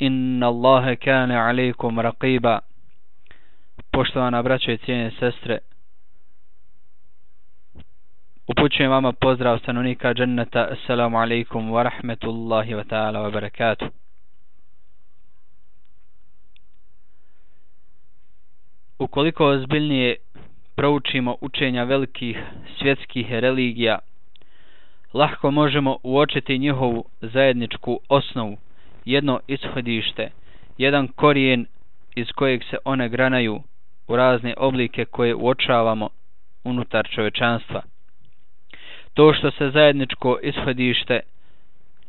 Inna Allahe kane alaikum raqiba. Poštovana braćo i cijene sestre, upućujem vama pozdrav stanovnika dženneta. Assalamu alaikum wa rahmetullahi wa ta'ala wa barakatuh. Ukoliko ozbiljnije proučimo učenja velikih svjetskih religija, lahko možemo uočiti njihovu zajedničku osnovu, jedno ishodište, jedan korijen iz kojeg se one granaju u razne oblike koje uočavamo unutar čovječanstva. To što se zajedničko ishodište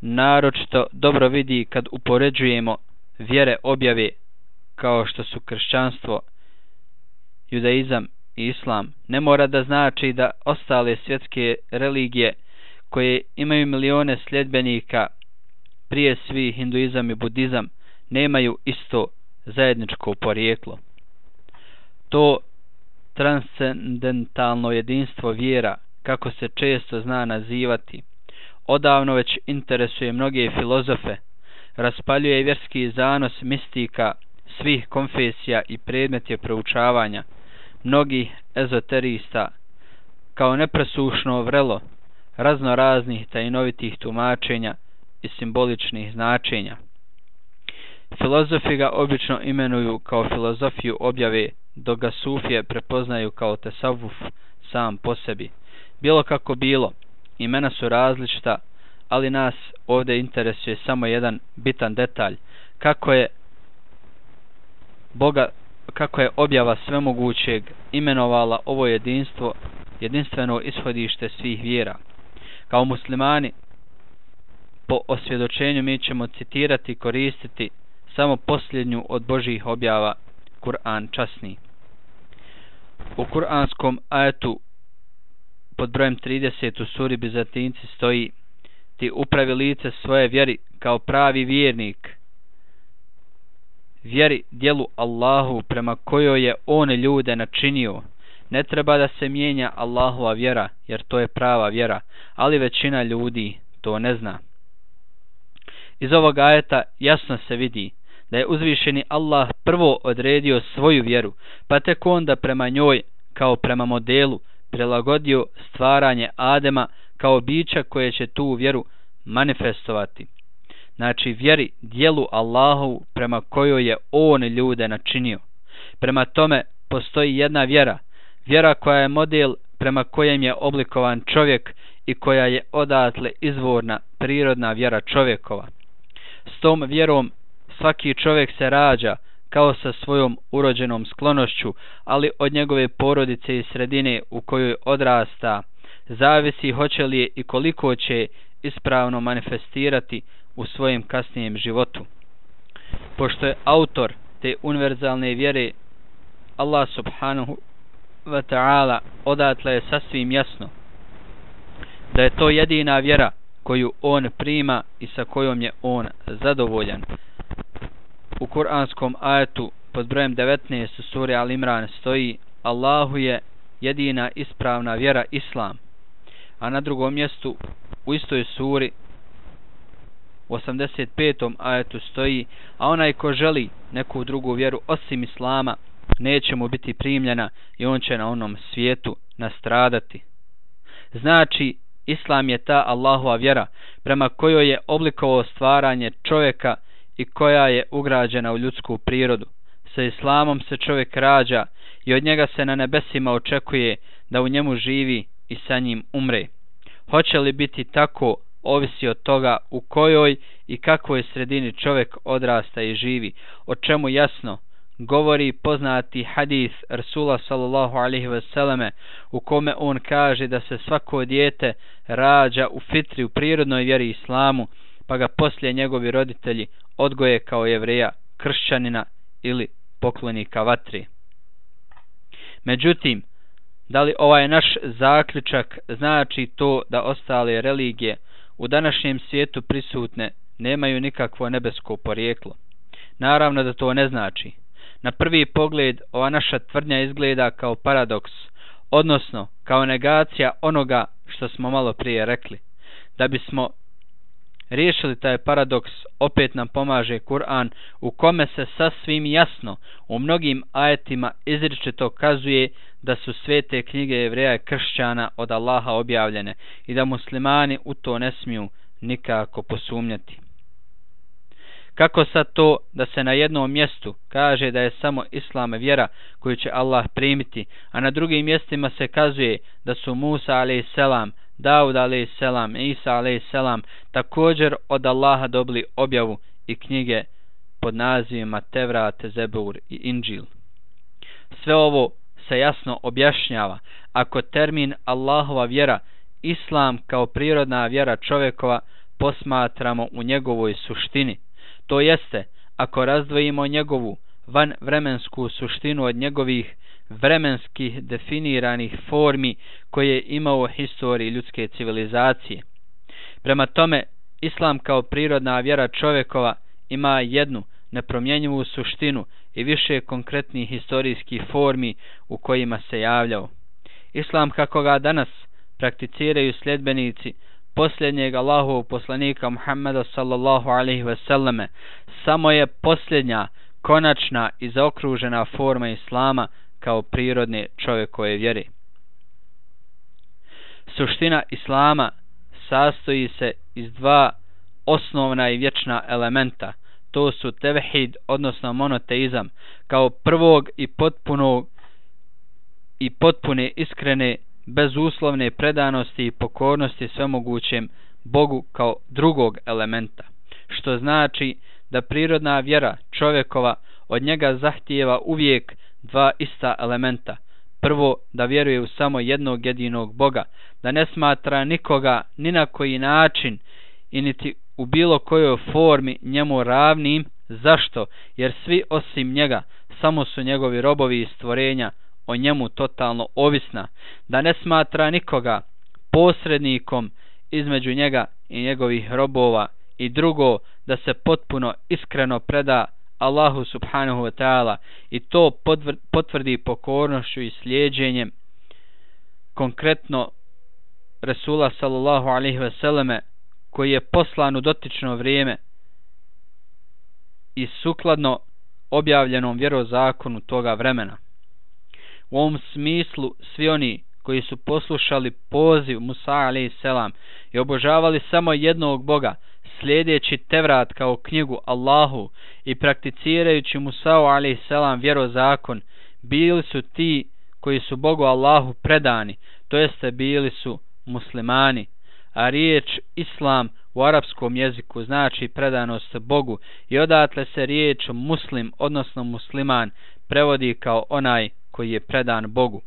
naročito dobro vidi kad upoređujemo vjere objave kao što su kršćanstvo, judaizam i islam, ne mora da znači da ostale svjetske religije koje imaju milione sljedbenika, prije svih hinduizam i budizam, nemaju isto zajedničko porijeklo. To transcendentalno jedinstvo vjera, kako se često zna nazivati, odavno već interesuje mnoge filozofe, raspaljuje vjerski zanos mistika svih konfesija i predmet je proučavanja mnogih ezoterista kao nepresušno vrelo raznoraznih tajnovitih tumačenja i simboličnih značenja. Filozofi ga obično imenuju kao filozofiju objave, dok ga sufije prepoznaju kao tesavvuf sam po sebi. Bilo kako bilo, imena su različita, ali nas ovdje interesuje samo jedan bitan detalj, kako je objava svemogućeg imenovala ovo jedinstvo, jedinstveno ishodište svih vjera. Kao muslimani, po osvjedočenju mi ćemo citirati i koristiti samo posljednju od Božjih objava, Kur'an časni. U kuranskom ajetu pod brojem 30 u suri Bizantinci stoji: ti upravi lice svoje vjeri kao pravi vjernik, vjeri djelu Allahu prema kojoj je on ljude načinio. Ne treba da se mijenja Allahova vjera, jer to je prava vjera, ali većina ljudi to ne zna. Iz ovog ajeta jasno se vidi da je uzvišeni Allah prvo odredio svoju vjeru, pa tek onda prema njoj, kao prema modelu, prilagodio stvaranje Adema kao bića koje će tu vjeru manifestovati. Znači vjeri djelu Allahu prema kojoj je on ljude načinio. Prema tome postoji jedna vjera, vjera koja je model prema kojem je oblikovan čovjek i koja je odatle izvorna prirodna vjera čovjekova. S tom vjerom svaki čovjek se rađa kao sa svojom urođenom sklonošću, ali od njegove porodice i sredine u kojoj odrasta zavisi hoće li je i koliko će ispravno manifestirati u svojem kasnijem životu. Pošto je autor te univerzalne vjere Allah subhanahu wa ta'ala, odatle je sasvim jasno da je to jedina vjera koju on prima i sa kojom je on zadovoljan. U kuranskom ajetu pod brojem 19 u suri Al Imran stoji: Allahu je jedina ispravna vjera Islam. A na drugom mjestu u istoj suri u 85. ajetu stoji: a onaj ko želi neku drugu vjeru osim Islama, neće mu biti primljena i on će na onom svijetu nastradati. Znači, Islam je ta Allahova vjera prema kojoj je oblikovao stvaranje čovjeka i koja je ugrađena u ljudsku prirodu. Sa Islamom se čovjek rađa i od njega se na nebesima očekuje da u njemu živi i sa njim umre. Hoće li biti tako, ovisi od toga u kojoj i kakvoj sredini čovjek odrasta i živi, o čemu jasno govori poznati hadis Rasula sallallahu alaihi wasallam, u kome on kaže da se svako dijete rađa u fitri, u prirodnoj vjeri Islamu, pa ga poslije njegovi roditelji odgoje kao Jevreja, kršćanina ili poklonika vatre. Međutim, da li ovaj naš zaključak znači to da ostale religije u današnjem svijetu prisutne nemaju nikakvo nebesko porijeklo? Naravno da to ne znači. Na prvi pogled ova naša tvrdnja izgleda kao paradoks, odnosno kao negacija onoga što smo malo prije rekli. Da bismo riješili taj paradoks, opet nam pomaže Kur'an u kome se sasvim jasno u mnogim ajetima izričito kazuje da su svete knjige Jevreja i kršćana od Allaha objavljene i da muslimani u to ne smiju nikako posumnjati. Kako sad to da se na jednom mjestu kaže da je samo Islam vjera koju će Allah primiti, a na drugim mjestima se kazuje da su Musa a.s., Davud a.s., Isa a.s. također od Allaha dobili objavu i knjige pod nazivima Tevrat, Zebur i Inđil. Sve ovo se jasno objašnjava ako termin Allahova vjera, Islam kao prirodna vjera čovjekova, posmatramo u njegovoj suštini. To jeste, ako razdvojimo njegovu vanvremensku suštinu od njegovih vremenskih definiranih formi koje je imao u historiji ljudske civilizacije. Prema tome, Islam kao prirodna vjera čovjekova ima jednu nepromjenjivu suštinu i više konkretnih historijskih formi u kojima se javljao. Islam kako ga danas prakticiraju sljedbenici posljednjeg Allahovog poslanika Muhammeda sallallahu alaihi ve selleme samo je posljednja, konačna i zaokružena forma Islama kao prirodne čovjekove vjere. Suština Islama sastoji se iz dva osnovna i vječna elementa. To su tevhid, odnosno monoteizam, kao prvog i potpune iskrene bezuslovne predanosti i pokornosti svemogućem Bogu kao drugog elementa, što znači da prirodna vjera čovjekova od njega zahtijeva uvijek dva ista elementa. Prvo, da vjeruje u samo jednog jedinog Boga, da ne smatra nikoga ni na koji način i niti u bilo kojoj formi njemu ravnim. Zašto? Jer svi osim njega samo su njegovi robovi i stvorenja o njemu totalno ovisna, da ne smatra nikoga posrednikom između njega i njegovih robova, i drugo, da se potpuno iskreno preda Allahu subhanahu wa ta'ala i to potvrdi pokornošću i slijedženjem konkretno Resula sallallahu alaihi ve selleme koji je poslan u dotično vrijeme i sukladno objavljenom vjerozakonu toga vremena. U ovom smislu svi oni koji su poslušali poziv Musa a.s. i obožavali samo jednog Boga, slijedeći Tevrat kao knjigu Allahu i prakticirajući Musa a.s. vjerozakon, bili su ti koji su Bogu Allahu predani, to jeste bili su muslimani, a riječ Islam u arapskom jeziku znači predanost Bogu i odatle se riječ muslim, odnosno musliman, prevodi kao onaj koji je predan Bogu.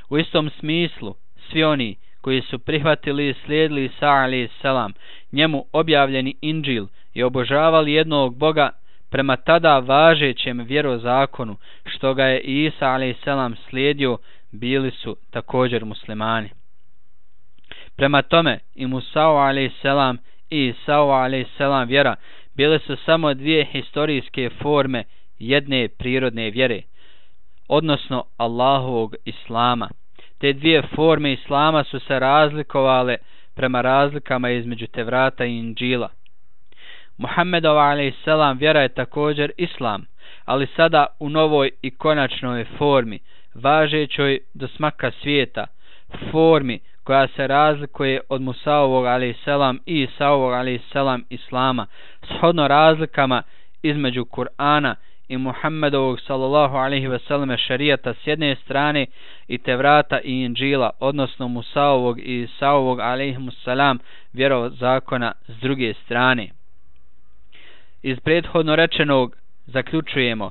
U istom smislu, svi oni koji su prihvatili i slijedili Isa a.s. njemu objavljeni Inđil i obožavali jednog Boga prema tada važećem vjerozakonu, što ga je Isa a.s. slijedio, bili su također muslimani. Prema tome, i Musa a.s. i Isa a.s. vjera bile su samo dvije historijske forme jedne prirodne vjere, odnosno Allahovog Islama. Te dvije forme Islama su se razlikovale prema razlikama između Tevrata i Inđila. Muhammedova a.s. vjera je također Islam, ali sada u novoj i konačnoj formi, važećoj do smaka svijeta, formi koja se razlikuje od Musaovog a.s. i Isaovog a.s. Islama, shodno razlikama između Kur'ana i Muhammedovog sallallahu alaihi ve selleme šerijata s jedne strane i Tevrata i Inđila, odnosno Musaovog i Isaovog alaihimussalam vjerozakona s druge strane. Iz prethodno rečenog zaključujemo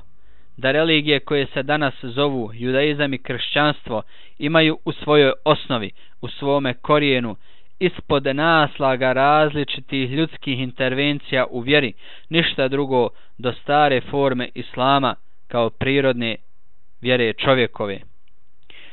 da religije koje se danas zovu judaizam i kršćanstvo imaju u svojoj osnovi, u svome korijenu, ispod naslaga različitih ljudskih intervencija u vjeri, ništa drugo do stare forme Islama kao prirodne vjere čovjekove.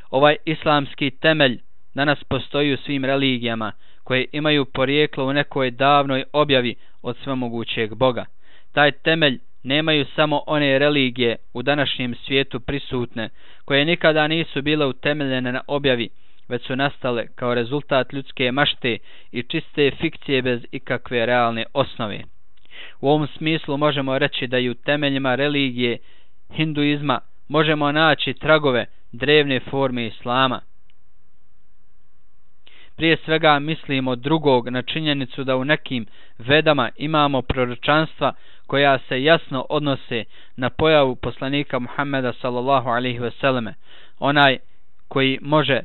Ovaj islamski temelj danas postoji u svim religijama koje imaju porijeklo u nekoj davnoj objavi od svemogućeg Boga. Taj temelj nemaju samo one religije u današnjem svijetu prisutne, koje nikada nisu bile utemeljene na objavi, već su nastale kao rezultat ljudske mašte i čiste fikcije bez ikakve realne osnove. U ovom smislu možemo reći da i u temeljima religije hinduizma možemo naći tragove drevne forme islama. Prije svega mislimo drugog na činjenicu da u nekim vedama imamo proročanstva koja se jasno odnose na pojavu poslanika Muhammeda sallallahu alejhi ve selleme, onaj koji može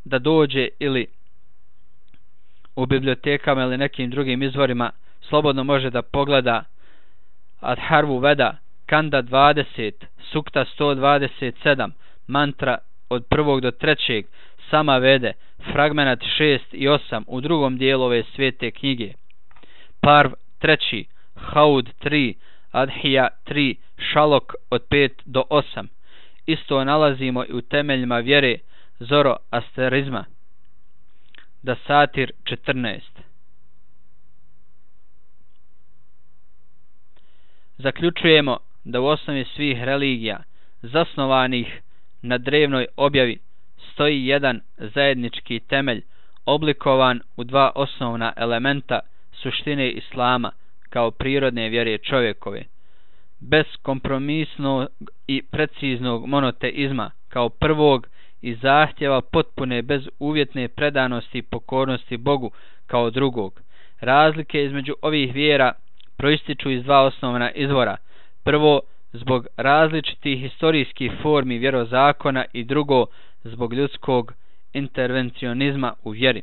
da dođe ili u bibliotekama ili nekim drugim izvorima slobodno može da pogleda Adharvu Veda, Kanda 20, Sukta 127, mantra od 1. do 3. Sama Vede, fragmenat 6 i 8 u drugom dijelu ove svete knjige, Parv 3, Haud 3, Adhija 3, Šalok od 5 do 8. Isto nalazimo i u temeljima vjere Zoroasterizma, Dasatir 14. Zaključujemo da u osnovi svih religija zasnovanih na drevnoj objavi stoji jedan zajednički temelj oblikovan u dva osnovna elementa suštine islama kao prirodne vjere čovjekove. Bez kompromisnog i preciznog monoteizma kao prvog i zahtjeva potpune bezuvjetne predanosti i pokornosti Bogu kao drugog. Razlike između ovih vjera proističu iz dva osnovna izvora. Prvo, zbog različitih historijskih formi vjerozakona i drugo, zbog ljudskog intervencionizma u vjeri.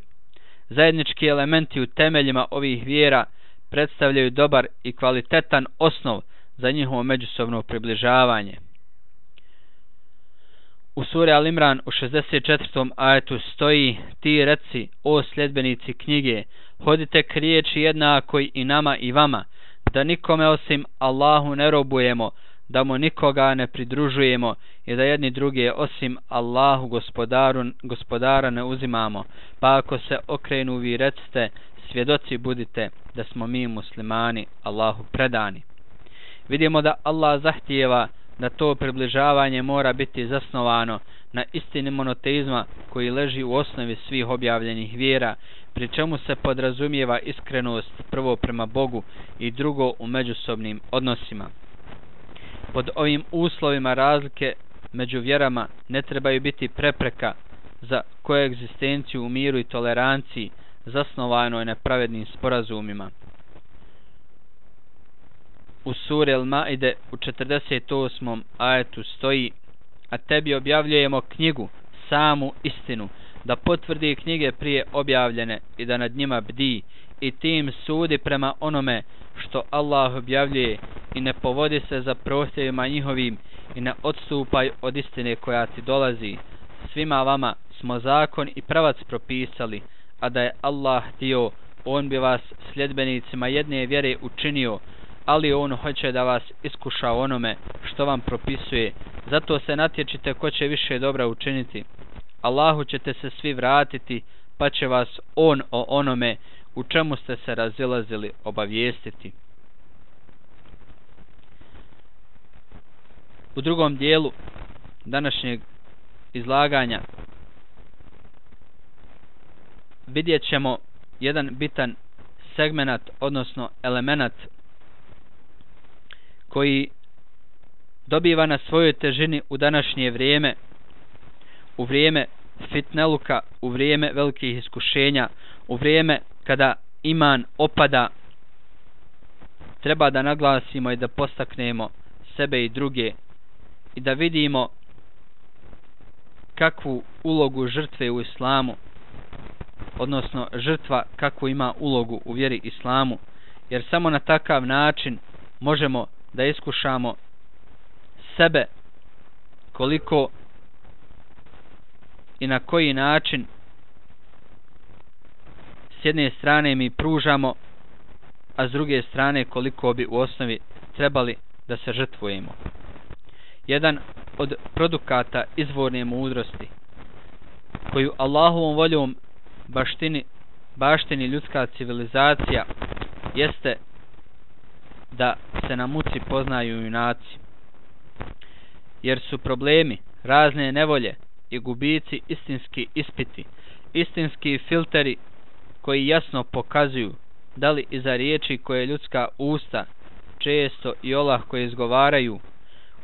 Zajednički elementi u temeljima ovih vjera predstavljaju dobar i kvalitetan osnov za njihovo međusobno približavanje. U suri Al-Imran u 64. ajetu stoji: ti reci, o sljedbenici knjige, hodite k riječi jednakoj i nama i vama, da nikome osim Allahu ne robujemo, da mu nikoga ne pridružujemo i da jedni druge osim Allahu gospodara ne uzimamo. Pa ako se okrenu vi recite, svjedoci budite da smo mi muslimani Allahu predani. Vidimo da Allah zahtijeva da to približavanje mora biti zasnovano na istini monoteizma koji leži u osnovi svih objavljenih vjera, pri čemu se podrazumijeva iskrenost prvo prema Bogu i drugo u međusobnim odnosima. Pod ovim uslovima razlike među vjerama ne trebaju biti prepreka za koegzistenciju u miru i toleranciji zasnovanoj na pravednim sporazumima. U suri Al-Maide u 48. ajetu stoji: a tebi objavljujemo knjigu, samu istinu, da potvrdi knjige prije objavljene i da nad njima bdi i tim sudi prema onome što Allah objavljuje i ne povodi se za prohtjevima njihovim i ne odstupaj od istine koja ti dolazi. Svima vama smo zakon i pravac propisali, a da je Allah htio, on bi vas sljedbenicima jedne vjere učinio, ali on hoće da vas iskuša onome što vam propisuje. Zato se natječite ko će više dobra učiniti. Allahu ćete se svi vratiti, pa će vas on o onome u čemu ste se razilazili obavijestiti. U drugom dijelu današnjeg izlaganja vidjet ćemo jedan bitan segmenat, odnosno elemenat koji dobiva na svojoj težini u današnje vrijeme, u vrijeme fitneluka, u vrijeme velikih iskušenja, u vrijeme kada iman opada. Treba da naglasimo i da postaknemo sebe i druge i da vidimo kakvu ulogu žrtve u islamu, odnosno žrtva kakvu ima ulogu u vjeri islamu, jer samo na takav način možemo da iskušamo sebe koliko i na koji način s jedne strane mi pružamo, a s druge strane koliko bi u osnovi trebali da se žrtvujemo. Jedan od produkata izvorne mudrosti koju Allahovom voljom baštini ljudska civilizacija jeste da se na muci poznaju junaci, jer su problemi, razne nevolje i gubici istinski ispiti istinski filteri koji jasno pokazuju da li iza riječi koje ljudska usta često i olahko izgovaraju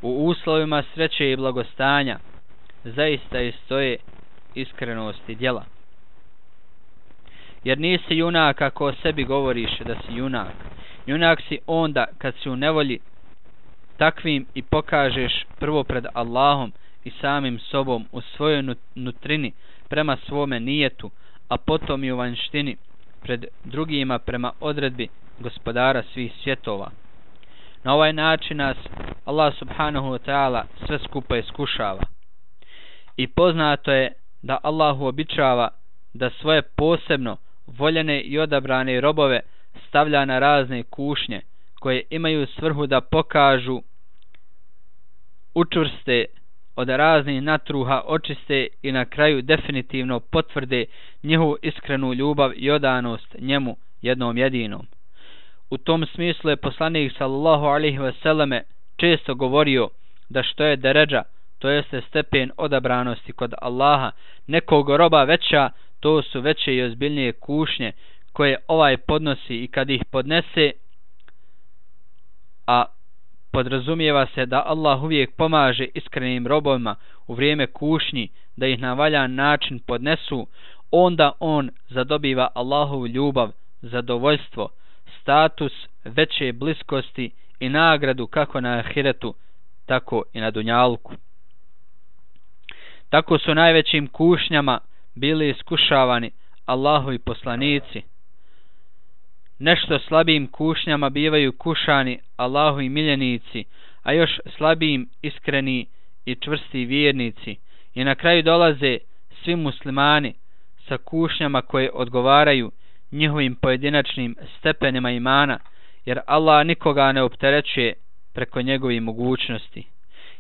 u uslovima sreće i blagostanja zaista i stoje iskrenosti djela. Jer nisi junak ako o sebi govoriš da si junak. Junak si onda kad si u nevolji, takvim i pokažeš prvo pred Allahom i samim sobom u svojoj nutrini prema svome nijetu, a potom i u vanjštini pred drugima prema odredbi gospodara svih svjetova. Na ovaj način nas Allah subhanahu wa ta'ala sve skupa iskušava. I poznato je da Allah uobičava da svoje posebno voljene i odabrane robove stavlja na razne kušnje koje imaju svrhu da pokažu, učvrste, od raznih natruha očiste i na kraju definitivno potvrde njihovu iskrenu ljubav i odanost njemu jednom jedinom. U tom smislu je poslanik sallallahu alejhi ve selleme često govorio da što je deređa, to jeste stepen odabranosti kod Allaha, nekog roba veća, to su veće i ozbiljnije kušnje koje ovaj podnosi i kad ih podnese, a podrazumijeva se da Allah uvijek pomaže iskrenim robovima u vrijeme kušnji da ih na valjan način podnesu, onda on zadobiva Allahovu ljubav, zadovoljstvo, status veće bliskosti i nagradu kako na ahiretu, tako i na dunjalku. Tako su najvećim kušnjama bili iskušavani Allahovi poslanici. Nešto slabijim kušnjama bivaju kušani Allahovi miljenici, a još slabijim iskreni i čvrsti vjernici. I na kraju dolaze svi muslimani sa kušnjama koje odgovaraju njihovim pojedinačnim stepenima imana, jer Allah nikoga ne opterećuje preko njegovih mogućnosti.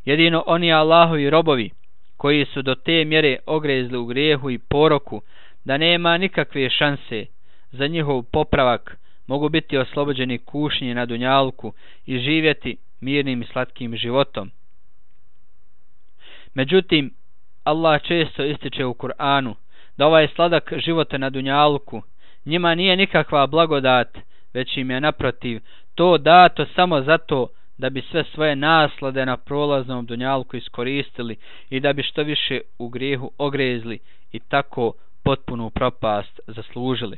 Jedino oni Allahovi robovi koji su do te mjere ogrezli u grijehu i poroku da nema nikakve šanse za njihov popravak, mogu biti oslobođeni kušnje na dunjalku i živjeti mirnim i slatkim životom. Međutim, Allah često ističe u Kur'anu da ovaj sladak života na dunjalku njima nije nikakva blagodat, već im je naprotiv to dato samo zato da bi sve svoje naslade na prolaznom dunjalku iskoristili i da bi što više u grijehu ogrezli i tako potpunu propast zaslužili.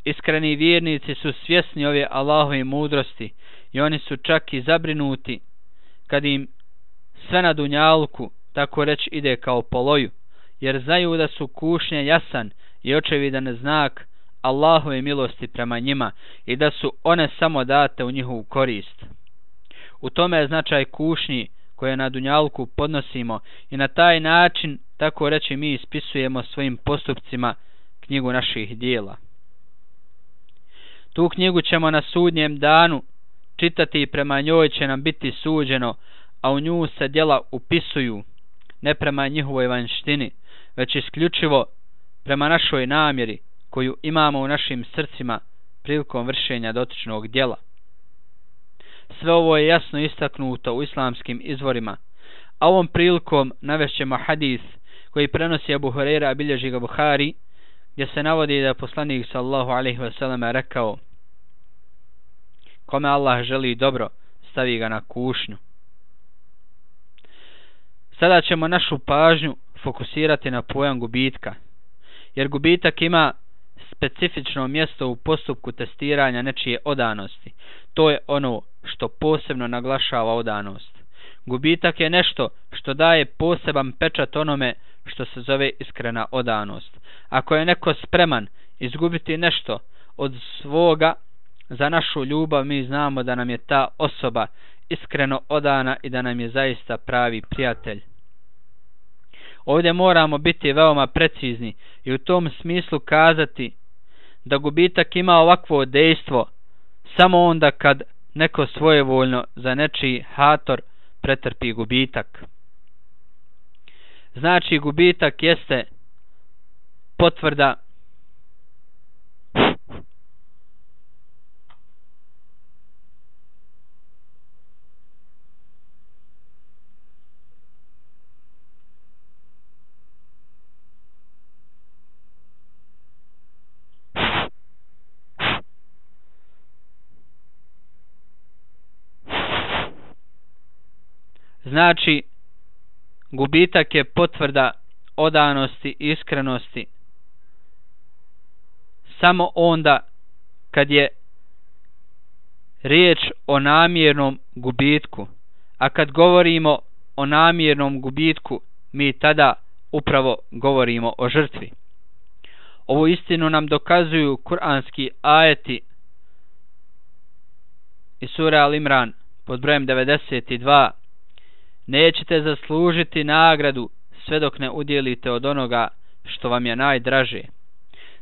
Iskreni vjernici su svjesni ove Allahove mudrosti i oni su čak i zabrinuti kad im sve na dunjalku tako reći ide kao po loju, jer znaju da su kušnje jasan i očevidan znak Allahove milosti prema njima i da su one samo date u njihovu korist. U tome je značaj kušnji koje na dunjalku podnosimo i na taj način, tako reći, mi ispisujemo svojim postupcima knjigu naših dijela. Tu knjigu ćemo na sudnjem danu čitati i prema njoj će nam biti suđeno, a u nju se djela upisuju ne prema njihovoj vanjštini, već isključivo prema našoj namjeri koju imamo u našim srcima prilikom vršenja dotičnog djela. Sve ovo je jasno istaknuto u islamskim izvorima, a ovom prilikom navešćemo hadis koji prenosi Abu Hurajra, a bilježi ga Buhari, gdje se navodi da je poslanik sallallahu alejhi ve sellem rekao: kome Allah želi dobro, stavi ga na kušnju. Sada ćemo našu pažnju fokusirati na pojam gubitka, jer gubitak ima specifično mjesto u postupku testiranja nečije odanosti. To je ono što posebno naglašava odanost. Gubitak je nešto što daje poseban pečat onome što se zove iskrena odanost. Ako je neko spreman izgubiti nešto od svoga za našu ljubav, mi znamo da nam je ta osoba iskreno odana i da nam je zaista pravi prijatelj. Ovdje moramo biti veoma precizni i u tom smislu kazati da gubitak ima ovakvo dejstvo samo onda kad neko svojevoljno za nečiji hator pretrpi gubitak. Znači, gubitak jeste potvrda Znači, gubitak je potvrda odanosti i iskrenosti samo onda kad je riječ o namjernom gubitku. A kad govorimo o namjernom gubitku, mi tada upravo govorimo o žrtvi. Ovu istinu nam dokazuju kuranski ajeti iz sure Al-Imran pod brojem 92. Nećete zaslužiti nagradu sve dok ne udjelite od onoga što vam je najdraže.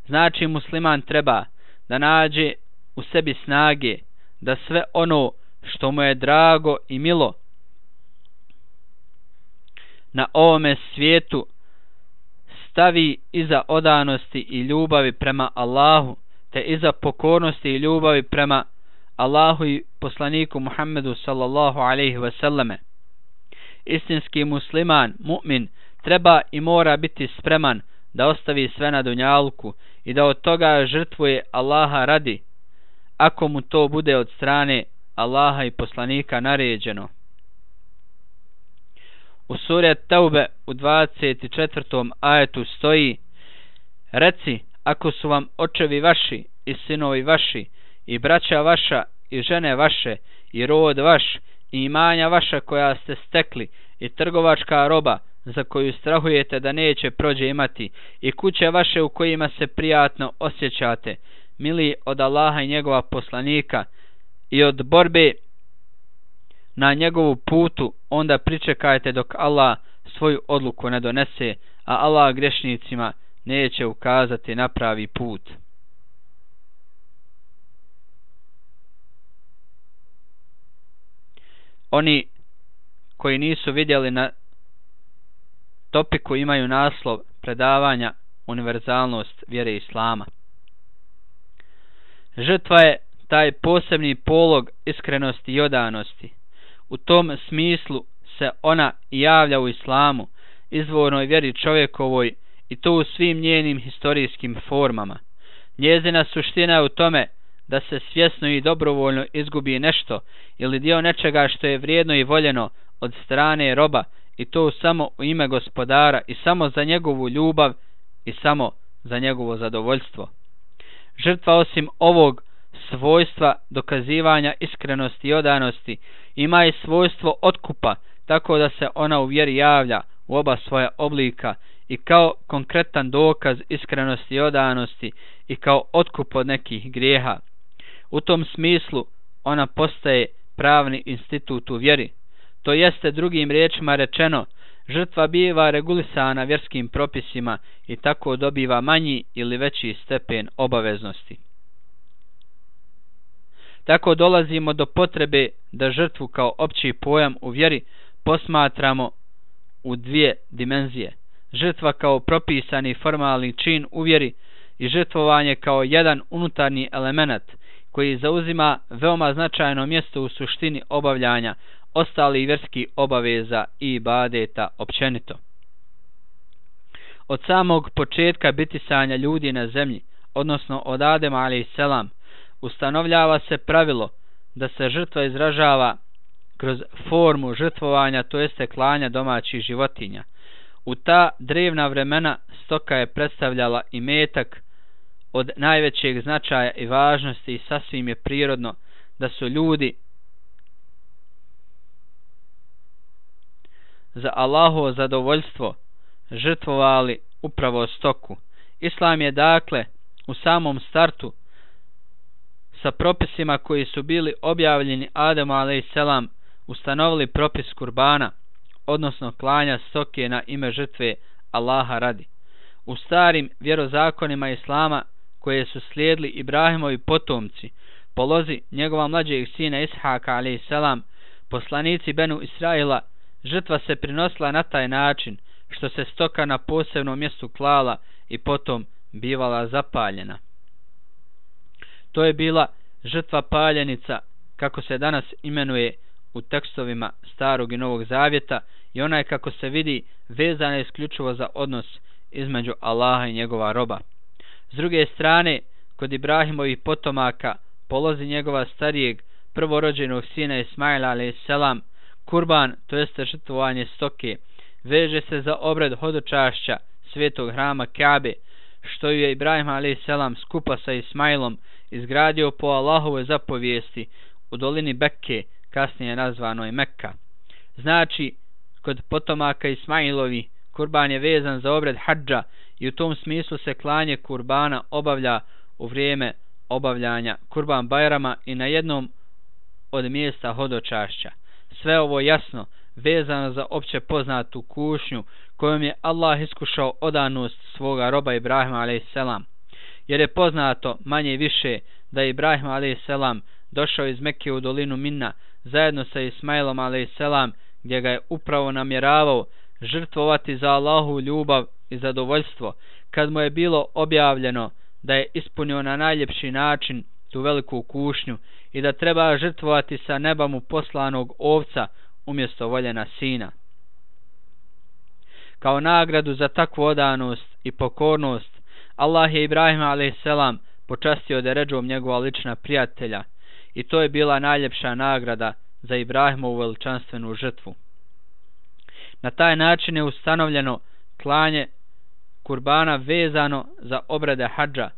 Znači, musliman treba da nađe u sebi snage da sve ono što mu je drago i milo na ovome svijetu stavi iza odanosti i ljubavi prema Allahu, te iza pokornosti i ljubavi prema Allahu i poslaniku Muhammedu sallallahu alejhi ve selleme. Istinski musliman, mu'min, treba i mora biti spreman da ostavi sve na dunjalku i da od toga žrtvuje Allaha radi, ako mu to bude od strane Allaha i poslanika naređeno. U suri Taube u 24. ajetu stoji: Reci, ako su vam očevi vaši i sinovi vaši i braća vaša i žene vaše i rod vaš i imanja vaša koja ste stekli i trgovačka roba za koju strahujete da neće prođe imati i kuće vaše u kojima se prijatno osjećate, mili od Allaha i njegova poslanika i od borbe na njegovu putu, onda pričekajte dok Allah svoju odluku ne donese, a Allah grešnicima neće ukazati na pravi put. Oni koji nisu vidjeli na topiku imaju naslov predavanja Univerzalnost vjere Islama. Žrtva je taj posebni polog iskrenosti i odanosti. U tom smislu se ona javlja u Islamu, izvornoj vjeri čovjekovoj, i to u svim njenim historijskim formama. Njezina suština je u tome da se svjesno i dobrovoljno izgubi nešto ili dio nečega što je vrijedno i voljeno od strane roba, i to samo u ime gospodara i samo za njegovu ljubav i samo za njegovo zadovoljstvo. Žrtva osim ovog svojstva dokazivanja iskrenosti i odanosti ima i svojstvo otkupa, tako da se ona u vjeri javlja u oba svoja oblika, i kao konkretan dokaz iskrenosti i odanosti i kao otkup od nekih grijeha. U tom smislu ona postaje pravni institut u vjeri. To jeste, drugim riječima rečeno, žrtva biva regulisana vjerskim propisima i tako dobiva manji ili veći stepen obaveznosti. Tako dolazimo do potrebe da žrtvu kao opći pojam u vjeri posmatramo u dvije dimenzije. Žrtva kao propisani formalni čin u vjeri i žrtvovanje kao jedan unutarnji element koji zauzima veoma značajno mjesto u suštini obavljanja ostalih vjerskih obaveza i ibadeta općenito. Od samog početka bitisanja ljudi na zemlji, odnosno od Adema alejselam, ustanovljava se pravilo da se žrtva izražava kroz formu žrtvovanja, to jeste klanja domaćih životinja. U ta drevna vremena stoka je predstavljala imetak od najvećeg značaja i važnosti i sasvim je prirodno da su ljudi za Allahovo zadovoljstvo žrtvovali upravo stoku. Islam je dakle u samom startu sa propisima koji su bili objavljeni Ademu alejselam ustanovili propis kurbana, odnosno klanja stoke na ime žrtve Allaha radi. U starim vjerozakonima Islama koje su slijedili Ibrahimovi potomci, po lozi njegova mlađeg sina Ishaka alejselam, poslanici Benu Israila, žrtva se prinosila na taj način što se stoka na posebnom mjestu klala i potom bivala zapaljena. To je bila žrtva paljenica, kako se danas imenuje u tekstovima Starog i Novog Zavjeta, i ona je, kako se vidi, vezana isključivo za odnos između Allaha i njegova roba. S druge strane, kod Ibrahimovih potomaka, po lozi njegova starijeg prvorođenog sina Ismaila alejselam, kurban, to jeste žrtvovanje stoke, veže se za obred hodočašća svetog hrama Kabe, što je Ibrahim a.s. skupa sa Ismailom izgradio po Allahovoj zapovijesti u dolini Bekke, kasnije nazvanoj Mekka. Znači, kod potomaka Ismailovi kurban je vezan za obred hadža i u tom smislu se klanje kurbana obavlja u vrijeme obavljanja kurban bajrama i na jednom od mjesta hodočašća. Sve ovo jasno vezano za opće poznatu kušnju kojom je Allah iskušao odanost svoga roba Ibrahima a.s. Jer je poznato manje više da je Ibrahim a.s. došao iz Mekke u dolinu Minna zajedno sa Ismailom a.s. gdje ga je upravo namjeravao žrtvovati za Allahu ljubav i zadovoljstvo, kad mu je bilo objavljeno da je ispunio na najljepši način tu veliku kušnju i da treba žrtvovati sa neba mu poslanog ovca umjesto voljena sina. Kao nagradu za takvu odanost i pokornost, Allah je Ibrahima a.s. počastio deredžom njegova lična prijatelja i to je bila najljepša nagrada za Ibrahimovu veličanstvenu žrtvu. Na taj način je ustanovljeno klanje kurbana vezano za obrede hadža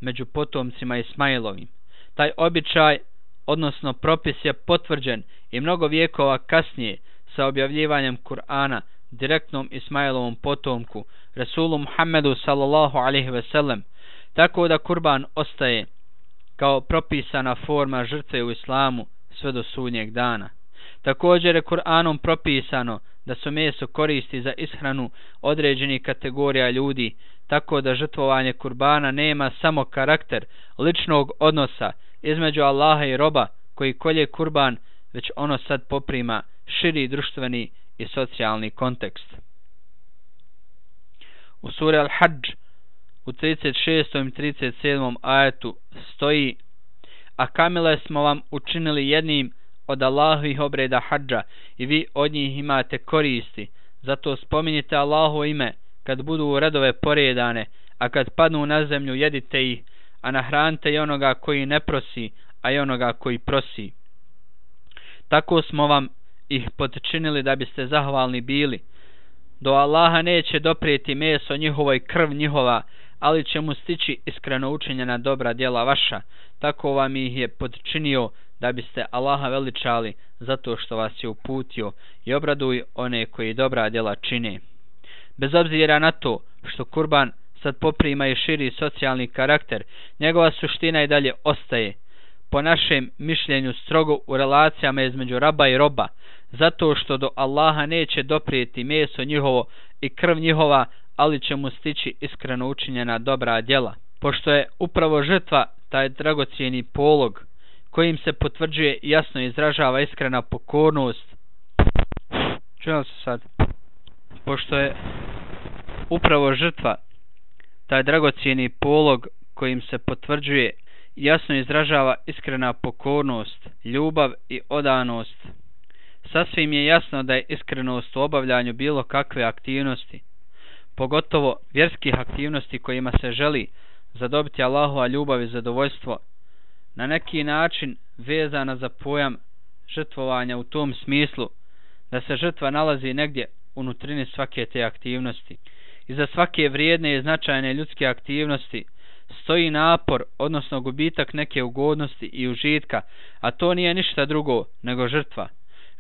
među potomcima Ismailovim. Taj običaj, odnosno propis, je potvrđen i mnogo vijekova kasnije sa objavljivanjem Kur'ana direktnom Ismailovom potomku, Resulu Muhammedu sallallahu alaihi ve sellem, tako da kurban ostaje kao propisana forma žrtve u islamu sve do sudnjeg dana. Također je Kur'anom propisano da se meso koristi za ishranu određenih kategorija ljudi, tako da žrtvovanje kurbana nema samo karakter ličnog odnosa između Allaha i roba koji kolje kurban, već ono sad poprima širi društveni i socijalni kontekst. U suri Al-Hadž u 36. i 37. ajetu stoji: a kamile smo vam učinili jednim od Allahovih obreda hadža i vi od njih imate koristi, zato spominjite Allahovo ime kad budu u redove poredane, a kad padnu na zemlju jedite ih, a nahranite i onoga koji ne prosi, a i onoga koji prosi. Tako smo vam ih potčinili da biste zahvalni bili. Do Allaha neće doprijeti meso njihovo i krv njihova, ali će mu stići iskreno učinjena dobra djela vaša. Tako vam ih je potčinio da biste Allaha veličali zato što vas je uputio i obraduj one koji dobra djela čine. Bez obzira na to što kurban sad poprima i širi socijalni karakter, njegova suština i dalje ostaje, po našem mišljenju, strogo u relacijama između raba i roba, zato što do Allaha neće doprijeti meso njihovo i krv njihova, ali će mu stići iskreno učinjena dobra djela. Pošto je upravo žrtva taj dragocijeni polog kojim se potvrđuje i jasno izražava iskrena pokornost. Čujem se sad. Pošto je upravo žrtva taj dragocijeni polog kojim se potvrđuje i jasno izražava iskrena pokornost, ljubav i odanost, sasvim je jasno da je iskrenost u obavljanju bilo kakve aktivnosti, pogotovo vjerskih aktivnosti kojima se želi zadobiti Allahova ljubav i zadovoljstvo, na neki način vezana za pojam žrtvovanja u tom smislu da se žrtva nalazi negdje unutrini svake te aktivnosti. Iza svake vrijedne i značajne ljudske aktivnosti stoji napor, odnosno gubitak neke ugodnosti i užitka, a to nije ništa drugo nego žrtva.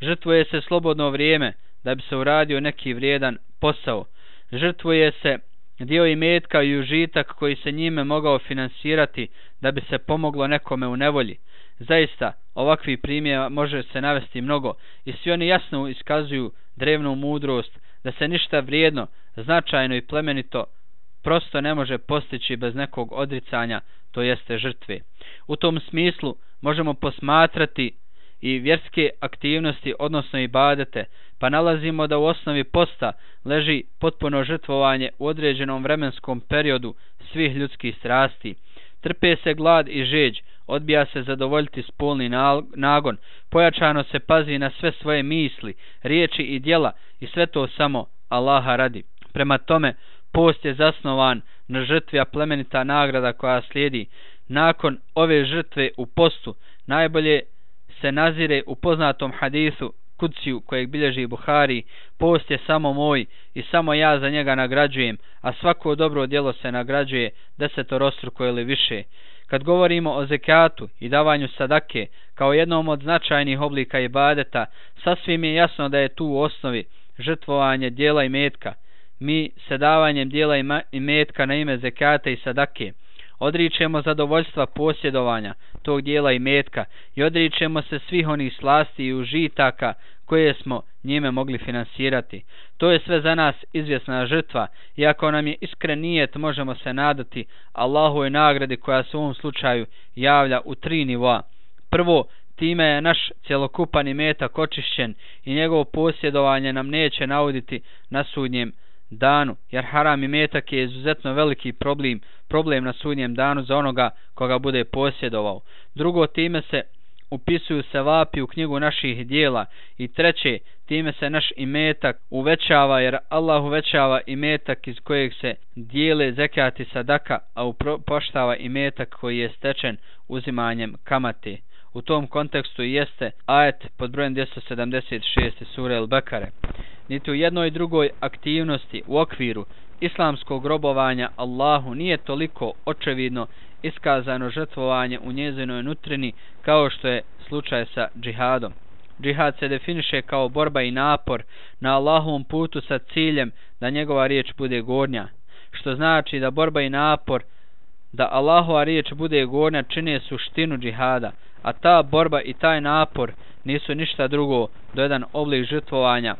Žrtvuje se slobodno vrijeme da bi se uradio neki vrijedan posao. Žrtvuje se dio imetka i užitak koji se njime mogao finansirati da bi se pomoglo nekome u nevolji. Zaista, ovakvi primjera može se navesti mnogo i svi oni jasno iskazuju drevnu mudrost da se ništa vrijedno, značajno i plemenito prosto ne može postići bez nekog odricanja, to jeste žrtve. U tom smislu možemo posmatrati i vjerske aktivnosti, odnosno ibadete, pa nalazimo da u osnovi posta leži potpuno žrtvovanje u određenom vremenskom periodu svih ljudskih strasti. Trpe se glad i žeđ, odbija se zadovoljiti spolni nagon, pojačano se pazi na sve svoje misli, riječi i djela i sve to samo Allaha radi. Prema tome, post je zasnovan na žrtvi, a plemenita nagrada koja slijedi nakon ove žrtve u postu najbolje se nazire u poznatom hadisu kudsiju kojeg bilježi Buhari: post je samo moj i samo ja za njega nagrađujem, a svako dobro djelo se nagrađuje 10-struko ili više. Kad govorimo o zekatu i davanju sadake kao jednom od značajnih oblika ibadeta, sasvim je jasno da je tu u osnovi žrtvovanje dijela i metka. Mi se davanjem dijela i metka na ime zekata i sadake odričemo zadovoljstva posjedovanja tog dijela i metka i odričemo se svih onih slasti i užitaka koje smo njime mogli finansirati. To je sve za nas izvjesna žrtva i ako nam je iskren nijet, možemo se nadati Allahovoj nagradi koja se u ovom slučaju javlja u 3 nivoa. Prvo, time je naš cjelokupan imetak očišćen i njegovo posjedovanje nam neće nauditi na sudnjem danu, jer haram imetak je izuzetno veliki problem na sudnjem danu za onoga koga bude posjedovao. Drugo, time se upisuju sevapi u knjigu naših dijela i treće, time se naš imetak uvećava, jer Allah uvećava imetak iz kojeg se dijele zekat i sadaka, a upropaštava imetak koji je stečen uzimanjem kamate. U tom kontekstu jeste ajet pod brojem 276 sure El-Bekare. Niti u jednoj i drugoj aktivnosti u okviru islamskog robovanja Allahu nije toliko očevidno iskazano žrtvovanje u njezinoj nutrini kao što je slučaj sa džihadom. Džihad se definiše kao borba i napor na Allahovom putu sa ciljem da njegova riječ bude gornja, što znači da borba i napor da Allahova riječ bude gornja čine suštinu džihada, a ta borba i taj napor nisu ništa drugo do jedan oblik žrtvovanja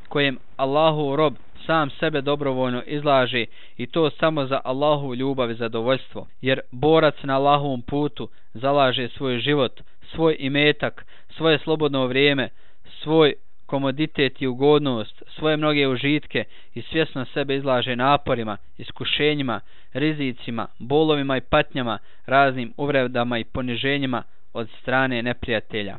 kojem Allahov rob sam sebe dobrovoljno izlaže, i to samo za Allahovu ljubav i zadovoljstvo, jer borac na Allahovom putu zalaže svoj život, svoj imetak, svoje slobodno vrijeme, svoj komoditet i ugodnost, svoje mnoge užitke i svjesno sebe izlaže naporima, iskušenjima, rizicima, bolovima i patnjama, raznim uvredama i poniženjima od strane neprijatelja.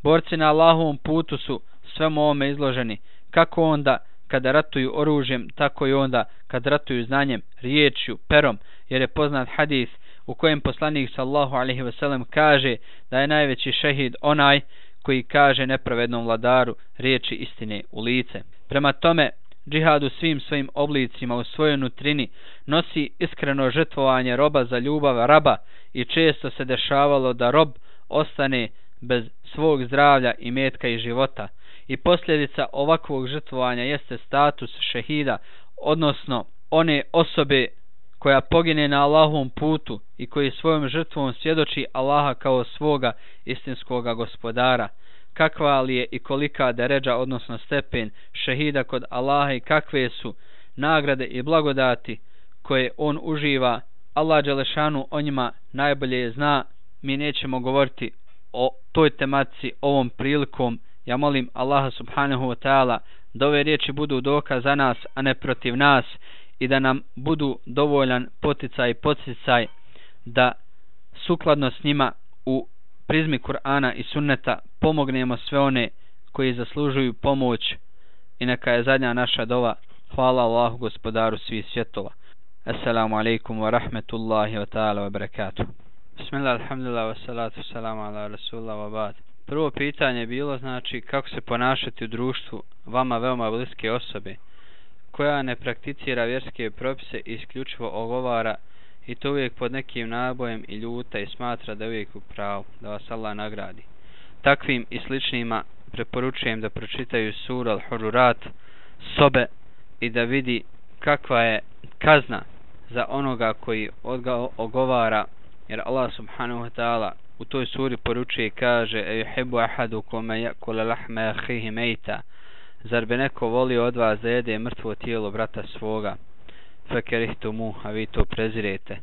Borci na Allahovom putu su svemu ovome izloženi, kako onda kada ratuju oružjem, tako i onda kad ratuju znanjem, riječju, perom, jer je poznat hadis u kojem poslanik sallallahu alejhi ve sellem kaže da je najveći šehid onaj koji kaže nepravednom vladaru riječi istine u lice. Prema tome, džihad u svim svojim oblicima u svojoj nutrini nosi iskreno žrtvovanje roba za ljubav raba i često se dešavalo da rob ostane bez svog zdravlja, imetka i života. I posljedica ovakvog žrtvovanja jeste status šehida, odnosno one osobe koja pogine na Allahovom putu i koji svojom žrtvom svjedoči Allaha kao svoga istinskoga gospodara. Kakva li je i kolika deređa, odnosno stepen šehida kod Allaha i kakve su nagrade i blagodati koje on uživa, Allah dželešanu o njima najbolje zna. Mi nećemo govoriti o toj tematici ovom prilikom. Ja molim Allaha subhanahu wa ta'ala da ove riječi budu dokaz za nas, a ne protiv nas, i da nam budu dovoljan poticaj i podsticaj da sukladno s njima u prizmi Kur'ana i sunneta pomognemo sve one koji zaslužuju pomoć. I neka je zadnja naša dova: hvala Allahu gospodaru svih svjetova. Assalamu alaikum wa rahmetullahi wa ta'ala wa barakatuh. Bismillah, alhamdulillah, wa salatu salamu ala rasulullah wa ba'd. Prvo pitanje je bilo, znači, kako se ponašati u društvu vama veoma bliske osobe koja ne prakticira vjerske propise i isključivo ogovara, i to uvijek pod nekim nabojem i ljuta i smatra da je uvijek u pravu, da vas Allah nagradi. Takvim i sličnima preporučujem da pročitaju suru Al-Hururat sobe i da vidi kakva je kazna za onoga koji ogovara, jer Allah subhanahu wa ta'ala u toj suri poručuje i kaže: "Yuhibbu ahadukum ya'kula lahma akhihi mayta." Zar bi neko volio od vas da jede mrtvo tijelo brata svoga? Fakerihtumu, a vi to prezirete.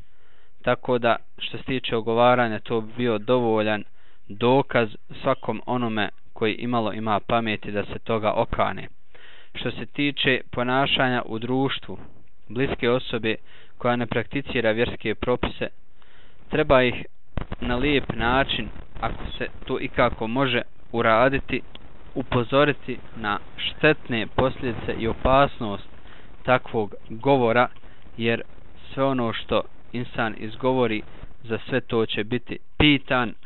Tako da, što se tiče ogovaranja, to bi bio dovoljan dokaz svakom onome koji imalo ima pameti da se toga okane. Što se tiče ponašanja u društvu bliske osobe koja ne prakticira vjerske propise, treba ih na lijep način, ako se to ikako može uraditi, upozoriti na štetne posljedice i opasnost takvog govora, jer sve ono što insan izgovori, za sve to će biti pitan.